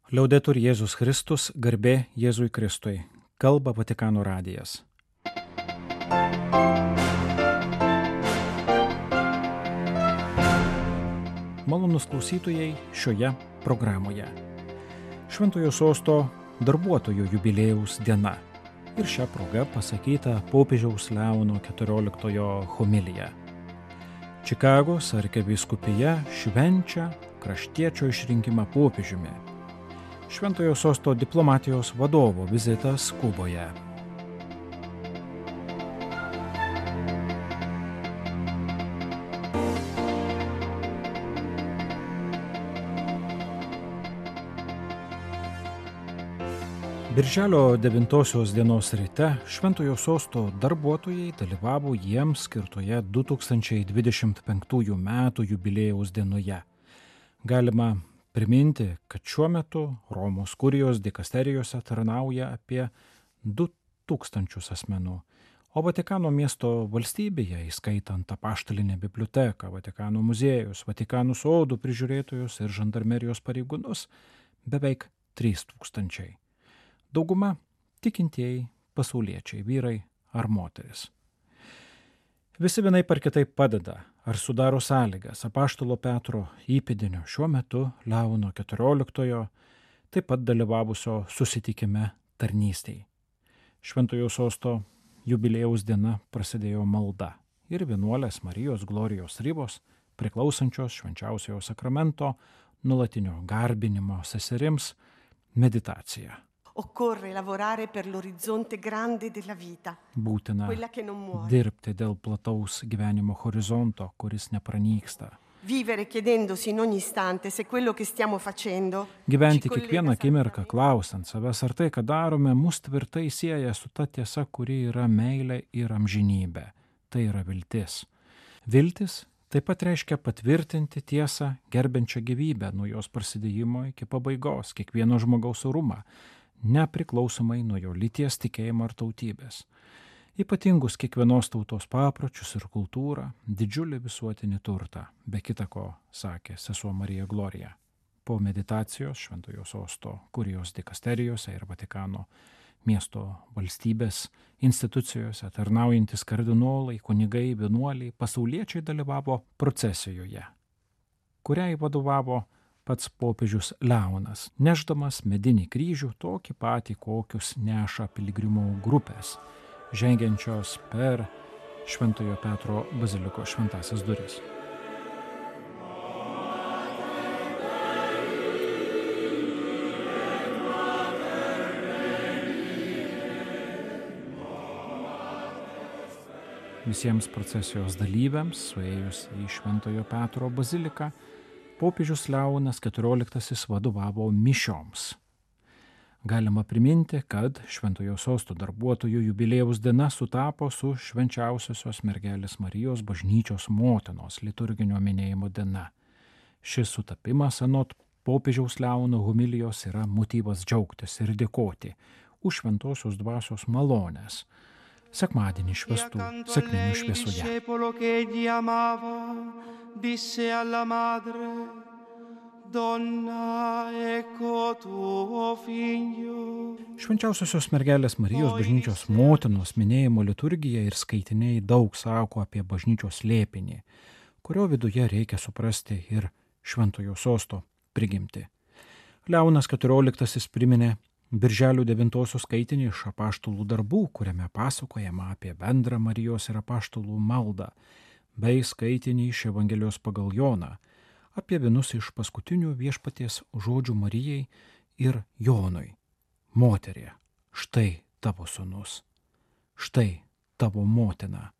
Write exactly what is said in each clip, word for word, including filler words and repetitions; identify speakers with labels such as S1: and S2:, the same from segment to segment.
S1: Liaudetur Jėzus Kristus, garbė Jėzui Kristui. Kalba Vatikano radijas. Malonūs klausytojai šioje programoje. Šventojo sosto darbuotojų jubiliejaus diena. Ir šią progą pasakyta popiežiaus Leono keturioliktojo homilija. Čikagos arkivyskupija švenčia kraštiečio išrinkimą popiežiumi. Šventojo sosto diplomatijos vadovo vizitas Kuboje. Birželio devintosios dienos ryte Šventojo sosto darbuotojai dalyvavo jiems skirtoje du tūkstančiai dvidešimt penktųjų metų jubiliejaus dienoje. Galima priminti, kad šiuo metu Romos kurijos dikasterijose tarnauja apie du tūkstančius asmenų, o Vatikano miesto valstybėje, įskaitant apaštalinę biblioteką, Vatikano muziejus, Vatikano sodų prižiūrėtojus ir žandarmerijos pareigūnus, beveik trys tūkstančiai. Dauguma tikintieji pasauliečiai, vyrai ar moteris. Visi vienai par kitaip padeda ar sudaro sąlygas apaštalo Petro įpėdinio šiuo metu Leono keturioliktojo taip pat dalyvavusio susitikime tarnystėj. Šventojo sosto jubiliejaus diena prasidėjo malda ir vienuolės Marijos Glorijos Ribos, priklausančios švenčiausiojo sakramento nuolatinio garbinimo seserims, meditacija.
S2: Occorre lavorare per l'orizzonte grande della vita.
S1: Būtina
S2: quella che non muore.
S1: dirbti dėl plataus gyvenimo horizonto, kuris nepranyksta.
S2: Vivere chiedendosi in ogni istante se quello che stiamo facendo
S1: Gyventi
S2: ci collega
S1: kiekvieną akimirką
S2: sempre
S1: klausant savęs, ar tai, ką darome, mus tvirtai sieja su ta tiesa, kuri yra meilė ir amžinybė. Tai yra viltis. Viltis taip pat reiškia patvirtinti tiesą gerbiančią gyvybę nuo jos prasidėjimo iki pabaigos, kiekvieno žmogaus orumą, nepriklausomai nuo jo lyties, tikėjimo ar tautybės. Ypatingus kiekvienos tautos papročius ir kultūrą, didžiulį visuotinį turtą, be kita ko, sakė sesuo Marija Glorija. Po meditacijos Šventojo sosto kurijos dikasterijose ir Vatikano miesto valstybės institucijose tarnaujantis kardinolai, kunigai, vienuoliai, pasauliečiai dalyvavo procesijoje, kuriai vadovavo pats popiežius Leonas, nešdamas medinį kryžių tokį patį, kokius neša piligrimų grupės, žengiančios per Šventojo Petro bazilikos šventąsias duris. Visiems procesijos dalyviams, suėjus į Šventojo Petro baziliką, popiežius Leonas keturioliktasis vadovavo mišioms. Galima priminti, kad Šventojo sosto darbuotojų jubiliejaus diena sutapo su švenčiausiosios mergelės Marijos bažnyčios motinos liturginio minėjimo diena. Šis sutapimas anot popiežiaus Leono homilijos yra motyvas džiaugtis ir dėkoti už šventosios dvasios malonės. Sekmadienį švęstų sekminių šviesoje.
S3: Disse alla madre, donna, ecco tuo figlio.
S1: Švenčiausiosios mergelės Marijos bažnyčios motinos minėjimo liturgija ir skaitiniai daug sako apie bažnyčios slėpinį, kurio viduje reikia suprasti ir Šventojo sosto prigimtį. Leonas keturioliktasis priminė Birželio devintosios skaitinį iš apaštalų darbų, kuriame pasakojama apie bendrą Marijos ir apaštalų maldą, bei skaitinį iš Evangelijos pagal Joną apie vienus iš paskutinių viešpaties žodžių Marijai ir Jonui. Moterie, štai tavo sūnus, štai tavo motina.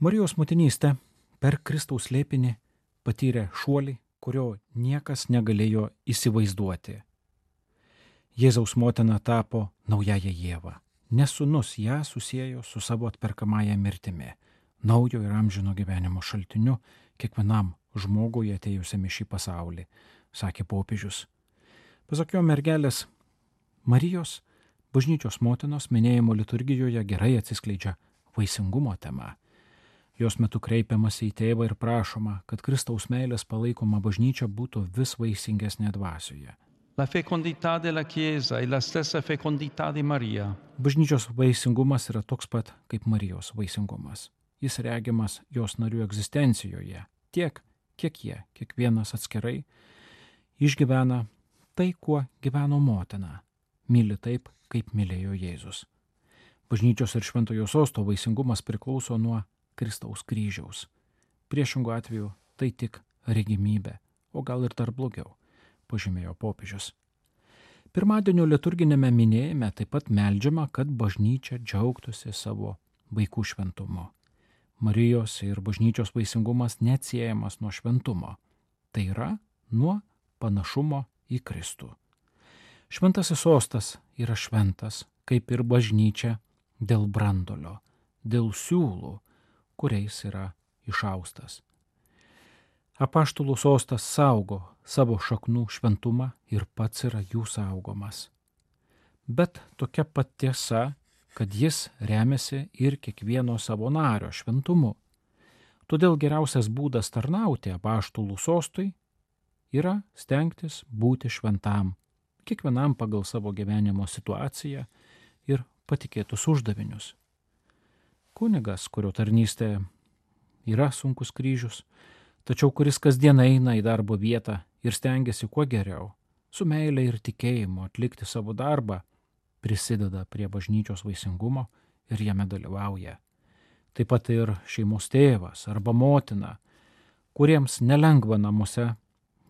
S1: Marijos motinystė per Kristaus slėpinį patyrė šuolį, kurio niekas negalėjo įsivaizduoti. Jėzaus motina tapo naująją Ievą, nes sūnus ją susiejo su savo atperkamąja mirtimi, naujo ir amžino gyvenimo šaltiniu kiekvienam žmogui atėjusiam į šį pasaulį, sakė popiežius. Pasak jo mergelės Marijos, bažnyčios motinos minėjimo liturgijoje gerai atsiskleidžia vaisingumo tema. Jos metu kreipiamasi į tėvą ir prašoma, kad Kristaus meilės palaikoma bažnyčia būtų vis vaisingesnė dvasioje.
S3: La fecondità della Chiesa è la stessa fecondità di Maria.
S1: Bažnyčios vaisingumas yra toks pat kaip Marijos vaisingumas. Jis regimas jos narių egzistencijoje, tiek, kiek jie, kiekvienas atskirai, išgyvena tai, kuo gyveno motina, myli taip, kaip mylėjo Jėzus. Bažnyčios ir Šventojo Sosto vaisingumas priklauso nuo Kristaus kryžiaus. Priešingų atveju tai tik regimybė, o gal ir dar blogiau, pažymėjo popiežius. Pirmadienio liturginėme minėjime taip pat meldžiama, kad bažnyčia džiaugtųsi savo vaikų šventumu. Marijos ir bažnyčios vaisingumas neatsiejamas nuo šventumo, tai yra nuo panašumo į Kristų. Šventasis sostas yra šventas, kaip ir bažnyčia, dėl brandolio, dėl siūlų, kuriais yra išaustas. Apaštalų sostas saugo savo šaknų šventumą ir pats yra jų saugomas. Bet tokia pat tiesa, kad jis remiasi ir kiekvieno savo nario šventumu. Todėl geriausias būdas tarnauti apaštalų sostui yra stengtis būti šventam, kiekvienam pagal savo gyvenimo situaciją ir patikėtus uždavinius. Kunigas, kurio tarnystė yra sunkus kryžius, tačiau kuris kasdien eina į darbo vietą ir stengiasi kuo geriau, su meile ir tikėjimu atlikti savo darbą, prisideda prie bažnyčios vaisingumo ir jame dalyvauja. Taip pat ir šeimos tėvas arba motina, kuriems nelengva namuose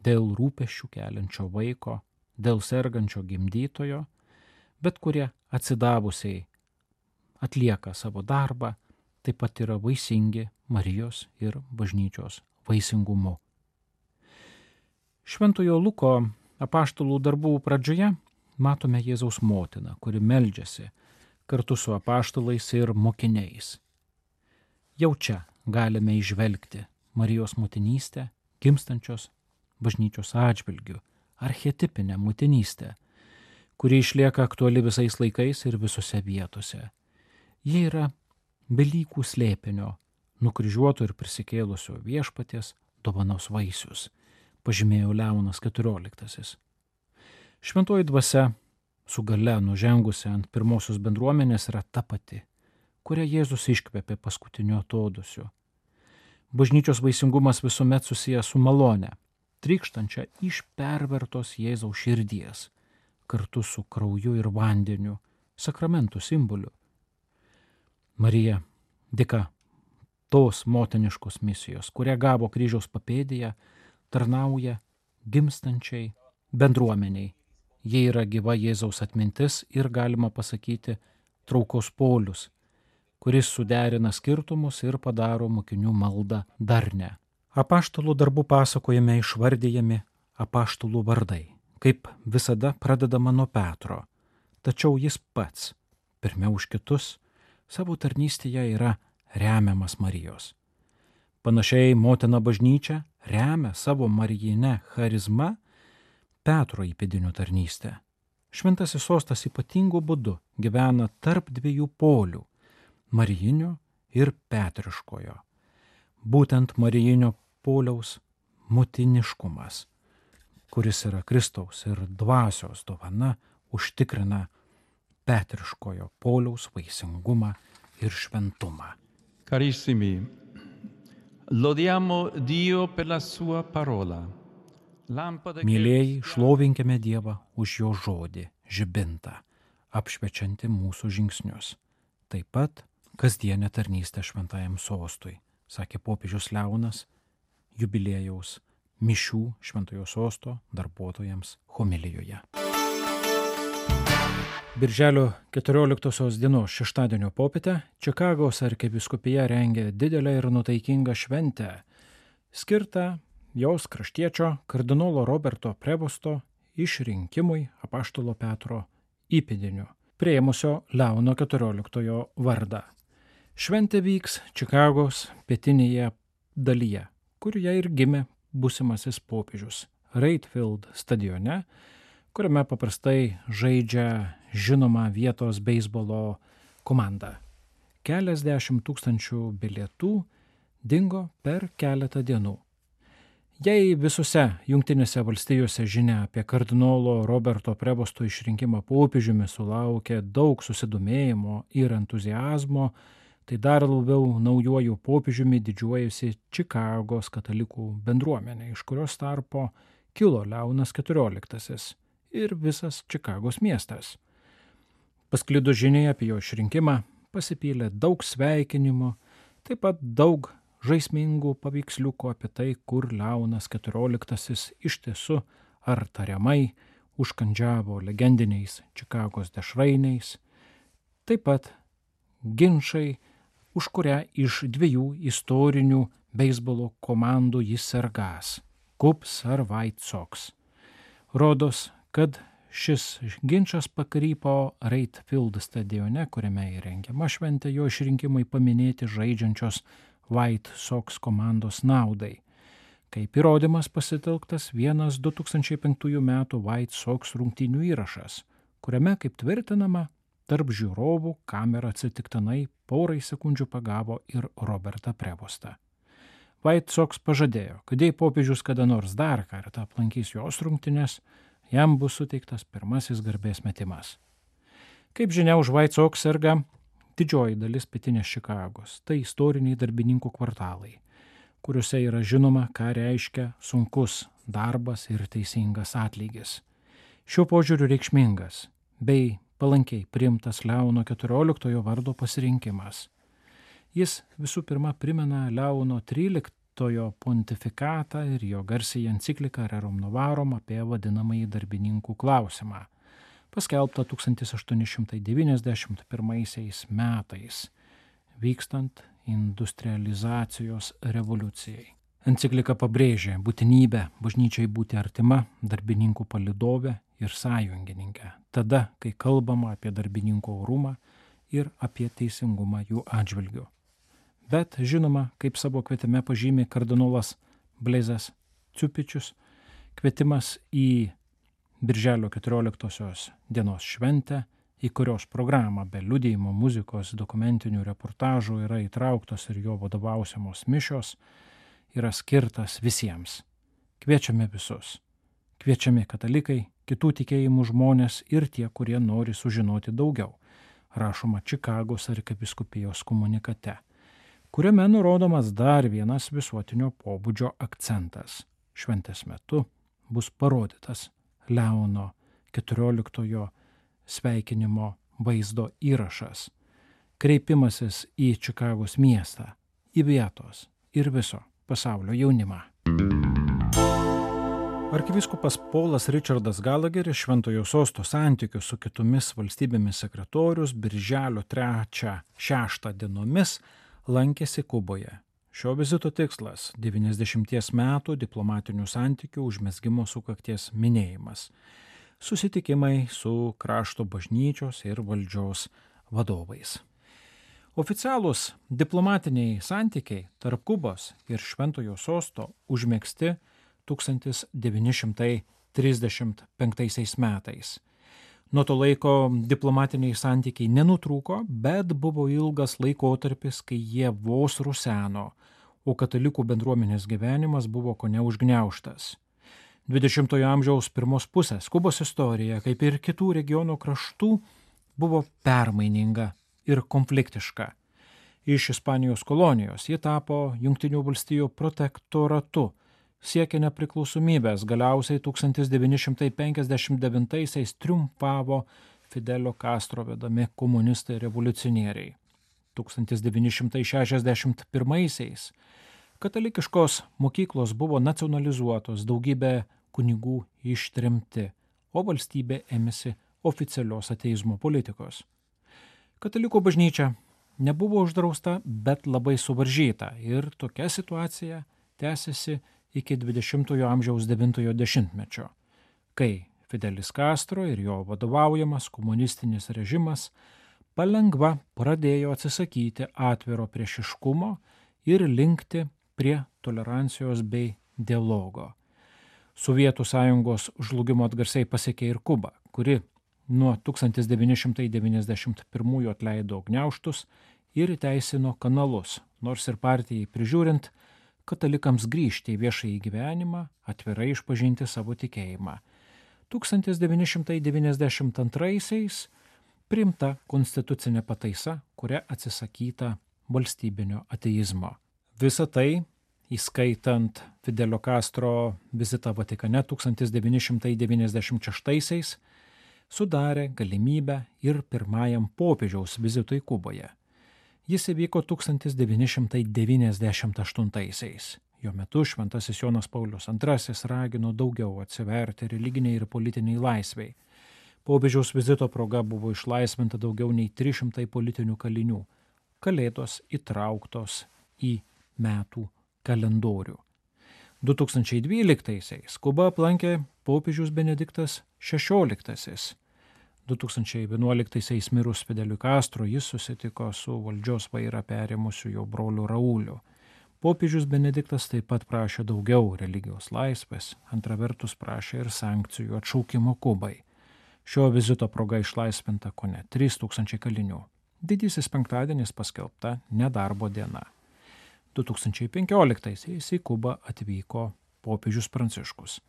S1: dėl rūpesčių keliančio vaiko, dėl sergančio gimdytojo, bet kurie atsidavusiai atlieka savo darbą, taip pat yra vaisingi Marijos ir bažnyčios vaisingumu. Šventojo Luko apaštalų darbų pradžioje matome Jėzaus motiną, kuri meldžiasi kartu su apaštalais ir mokiniais. Jau čia galime įžvelgti Marijos motinystę, gimstančios bažnyčios atžvilgių, archetipinę motinystę, kuri išlieka aktuali visais laikais ir visose vietose. Ji yra Velykų slėpinio, nukryžiuoto ir prisikėlusio viešpaties dovanos vaisius, pažymėjo Leonas keturioliktasis. Šventoji dvasia su gale nužengusi ant pirmosios bendruomenės yra ta pati, kurią Jėzus iškvėpė paskutiniu atodūsiu. Bažnyčios vaisingumas visuomet susijęs su malone, trykštančia iš pervertos Jėzaus širdies, kartu su krauju ir vandeniu, sakramentų simboliu. Marija, dėka tos motiniškos misijos, kurią gavo kryžiaus papėdėje, tarnauja gimstančiai bendruomeniai. Jie yra gyva Jėzaus atmintis ir, galima pasakyti, traukos polius, kuris suderina skirtumus ir padaro mokinių maldą darnią. Apaštalų darbų pasakojime išvardyjami apaštalų vardai, kaip visada pradedama nuo Petro, tačiau jis pats, pirmiau už kitus, savo tarnystėje yra remiamas Marijos. Panašiai motina bažnyčia remia savo marijinę charizmą Petro įpėdinių tarnystę. Šventasis sostas ypatingu būdu gyvena tarp dviejų polių – marijinio ir petriškojo. Būtent marijinio poliaus motiniškumas, kuris yra Kristaus ir dvasios dovana, užtikrina petriškojo poliaus vaisingumą ir šventumą.
S3: Carissimi, lodiamo Dio per la sua parola.
S1: Mylėjai, šlovinkime Dievą už jo žodį, žibintą, apšviečiantį mūsų žingsnius. Taip pat kasdienę tarnystę šventajam sostui, sakė popiežius Leonas, jubiliejaus mišių Šventojo sosto darbuotojams homilijoje. Birželio keturioliktosios dienos šeštadienio popietę Čikagos arkivyskupija rengia didelę ir nutaikingą šventę, skirtą jos kraštiečio kardinolo Roberto Prevosto išrinkimui apaštalo Petro įpėdiniu, priėmusio Leono keturioliktojo vardą. Šventė vyks Čikagos pietinėje dalyje, kurioje ir gimė būsimasis popiežius, Reitfield stadione, kuriame paprastai žaidžia žinoma vietos beisbolo komanda. Keliasdešimt tūkstančių bilietų dingo per keletą dienų. Jei visose Jungtinėse valstijose žinia apie kardinolo Roberto Prevosto išrinkimą popiežiumi sulaukė daug susidomėjimo ir entuziazmo, tai dar labiau naujuoju popiežiumi didžiuojasi Čikagos katalikų bendruomenė, iš kurios tarpo kilo Leonas keturioliktasis ir visas Čikagos miestas. Pasklidus žiniai apie jo išrinkimą pasipylė daug sveikinimo, taip pat daug žaismingų paveiksliukų apie tai, kur Leonas keturioliktasis iš tiesų ar tariamai užkandžiavo legendiniais Čikagos dešrainiais, taip pat ginčai, už kurią iš dviejų istorinių beisbolo komandų jis sergąs – Cubs ar White Sox. Rodos, kad šis ginčas pakrypo Wright Field stadione, kuriame įrengiama šventė jo išrinkimai paminėti žaidžiančios White Sox komandos naudai. Kaip įrodymas pasitelktas vienas du tūkstančiai penktųjų metų White Sox rungtynių įrašas, kuriame, kaip tvirtinama, tarp žiūrovų kamera atsitiktinai porai sekundžių pagavo ir Robertą Prevostą. White Sox pažadėjo, kad jei popiežius kada nors dar kartą aplankys jos rungtynes, jam bus suteiktas pirmasis garbės metimas. Kaip žinia, už White Sox serga didžioji dalis pietinės Čikagos, tai istoriniai darbininkų kvartalai, kuriuose yra žinoma, ką reiškia sunkus darbas ir teisingas atlygis. Šiuo požiūriu reikšmingas bei palankiai priimtas Leono keturioliktojo vardo pasirinkimas. Jis visų pirma primena Leono tryliktojo pontifikatą ir jo garsiąją encikliką Rerum Novarum apie vadinamąjį darbininkų klausimą, paskelbta tūkstantis aštuoni šimtai devyniasdešimt pirmaisiais metais, vykstant industrializacijos revoliucijai. Enciklika pabrėžė būtinybę bažnyčiai būti artima darbininkų palydovė ir sąjungininkė, tada, kai kalbama apie darbininkų orumą ir apie teisingumą jų atžvilgiu. Bet, žinoma, kaip savo kvietime pažymi kardinolas Blazas Ciupičius, kvietimas į Birželio keturioliktosios dienos šventę, į kurios programą be liudijimo muzikos dokumentinių reportažų yra įtrauktos ir jo vadovausiamos mišios, yra skirtas visiems. Kviečiame visus. Kviečiami katalikai, kitų tikėjimų žmonės ir tie, kurie nori sužinoti daugiau, rašoma Čikagos arkivyskupijos komunikate, kuriame nurodomas dar vienas visuotinio pobūdžio akcentas. Šventės metu bus parodytas Leono keturioliktojo sveikinimo vaizdo įrašas, kreipimasis į Čikagos miestą, į vietos ir viso pasaulio jaunimą. Arkivyskupas Paulas Richardas Gallagheris Šventojo Sosto santykių su kitomis valstybėmis sekretorius birželio trečią šeštą dienomis lankėsi Kuboje. Šio vizito tikslas – devyniasdešimties metų diplomatinių santykių užmezgimo sukakties minėjimas, susitikimai su krašto bažnyčios ir valdžios vadovais. Oficialūs diplomatiniai santykiai tarp Kubos ir Šventojo Sosto užmegzti tūkstantis devyni šimtai trisdešimt penktaisiais metais. Nuo to laiko diplomatiniai santykiai nenutrūko, bet buvo ilgas laikotarpis, kai jie vos ruseno, o katalikų bendruomenės gyvenimas buvo kone užgniaužtas. dvidešimtojo amžiaus pirmos pusės Kubos istorija, kaip ir kitų regiono kraštų, buvo permaininga ir konfliktiška. Iš Ispanijos kolonijos ji tapo Jungtinių valstijų protektoratu, siekė nepriklausomybės, galiausiai tūkstantis devyni šimtai penkiasdešimt devintaisiais triumfavo Fidelio Castro vedami komunistai revoliucionieriai. tūkstantis devyni šimtai šešiasdešimt pirmaisiais katalikiškos mokyklos buvo nacionalizuotos, daugybė kunigų ištremti, o valstybė ėmėsi oficialios ateizmo politikos. Katalikų bažnyčia nebuvo uždrausta, bet labai suvaržyta ir tokia situacija tęsiasi iki dvidešimtojo amžiaus devintojo dešimtmečio, kai Fidelis Castro ir jo vadovaujamas komunistinis režimas palengva pradėjo atsisakyti atviro priešiškumo ir linkti prie tolerancijos bei dialogo. Sovietų sąjungos žlugimo atgarsiai pasiekė ir Kuba, kuri nuo tūkstantis devyni šimtai devyniasdešimt pirmųjų atleido gniaužtus ir įteisino kanalus, nors ir partijai prižiūrint, katalikams grįžti į viešąjį gyvenimą, atvirai išpažinti savo tikėjimą. tūkstantis devyni šimtai devyniasdešimt antraisiais priimta konstitucinė pataisa, kuria atsisakyta valstybinio ateizmo. Visa tai, įskaitant Fidelio Castro vizitą Vatikane tūkstantis devyni šimtai devyniasdešimt šeštaisiais, sudarė galimybę ir pirmajam popiežiaus vizitui Kuboje. Jis įvyko tūkstantis devyni šimtai devyniasdešimt aštuntaisiais. Jo metu šventasis Jonas Paulius antrasis ragino daugiau atsiverti religiniai ir politiniai laisvei. Popiežiaus vizito proga buvo išlaisvinta daugiau nei trys šimtai politinių kalinių. Kalėdos įtrauktos į metų kalendorių. du tūkstančiai dvyliktaisiais Kubą aplankė popiežius Benediktas šešioliktasis. du tūkstančiai vienuoliktaisiais mirus Fideliui Castro jis susitiko su valdžios vairą perėmusiu jo broliu Rauliu. Popiežius Benediktas taip pat prašė daugiau religijos laisvės, antra vertus prašė ir sankcijų atšaukimo Kubai. Šio vizito proga išlaisvinta kone trys tūkstančiai kalinių. Didysis penktadienis paskelbta nedarbo diena. du tūkstančiai penkioliktaisiais į Kubą atvyko popiežius Pranciškus.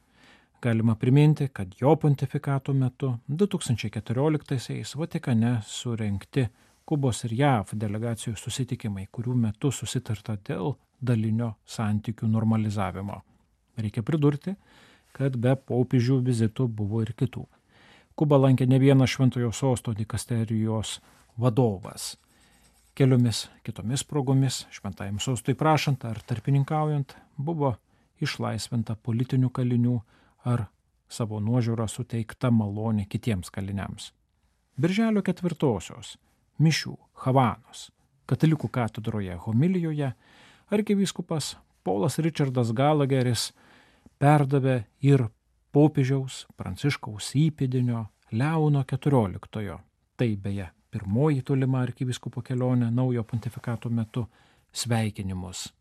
S1: Galima priminti, kad jo pontifikato metu du tūkstančiai keturioliktaisiais Vatikane surengti Kubos ir J A V delegacijų susitikimai, kurių metu susitarta dėl dalinio santykių normalizavimo. Reikia pridurti, kad be popiežių vizitų buvo ir kitų. Kubą lankė ne vienas Šventojo Sosto dikasterijos vadovas. Keliomis kitomis progomis, šventajam sostui prašant ar tarpininkaujant, buvo išlaisvinta politinių kalinių ar savo nuožiūrą suteikta malonė kitiems kaliniams. Birželio ketvirtosios mišių Havanos katalikų katedroje homilijoje arkivyskupas Paulas Richardas Galageris perdavė ir popiežiaus Pranciškaus įpėdinio Leono keturioliktojo. Tai beje pirmoji tolima arkivyskupo kelionė naujo pontifikato metu sveikinimus.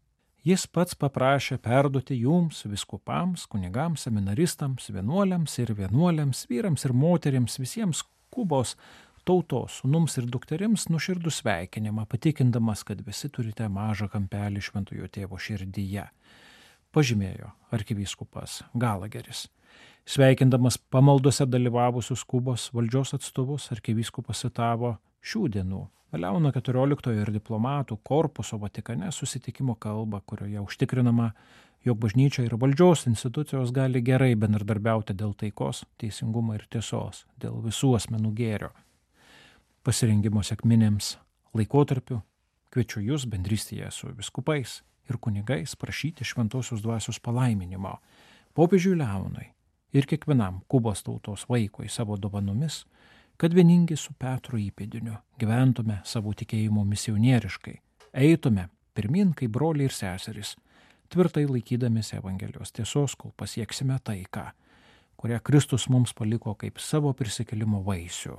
S1: Jis pats paprašė perduoti jums, vyskupams, kunigams, seminaristams, vienuoliams ir vienuoliams, vyrams ir moterims, visiems Kubos tautos sūnums ir dukterims nuoširdų sveikinimą, patikindamas, kad visi turite mažą kampelį Šventojo Tėvo širdyje, pažymėjo arkivyskupas Galageris. Sveikindamas pamaldose dalyvavusius Kubos valdžios atstovus, arkivyskupas citavo šių dienų Leono keturioliktojo ir diplomatų korpuso Vatikane susitikimo kalbą, kurioje užtikrinama, jog bažnyčia ir valdžios institucijos gali gerai bendradarbiauti dėl taikos, teisingumo ir tiesos, dėl visų asmenų gėrio. Pasirengimo sekminėms laikotarpiu kviečiu jūs bendrystėje su viskupais ir kunigais prašyti šventosios dvasios palaiminimo popiežiui Leonui ir kiekvienam Kubos tautos vaikui savo dovanomis, kad vieningi su Petro įpėdiniu gyventume savo tikėjimo misionieriškai, eitume pirmin kaip broliai ir seserys, tvirtai laikydamėsi Evangelijos tiesos, kol pasieksime taiką, kurią Kristus mums paliko kaip savo prisikėlimo vaisių.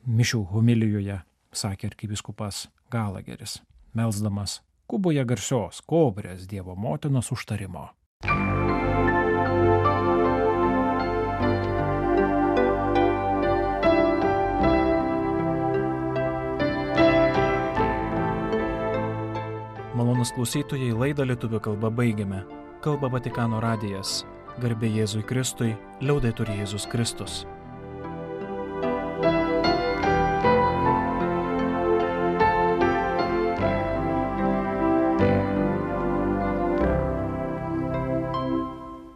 S1: Mišių homilijoje sakė arkivyskupas Galageris, melsdamas Kuboje garsios Kobrės Dievo motinos užtarimo.
S4: Malonūs klausytojai, laidą lietuvių kalba baigiame. Kalba Vatikano radijas. Garbė Jėzui Kristui, liaudetur Jėzus Kristus.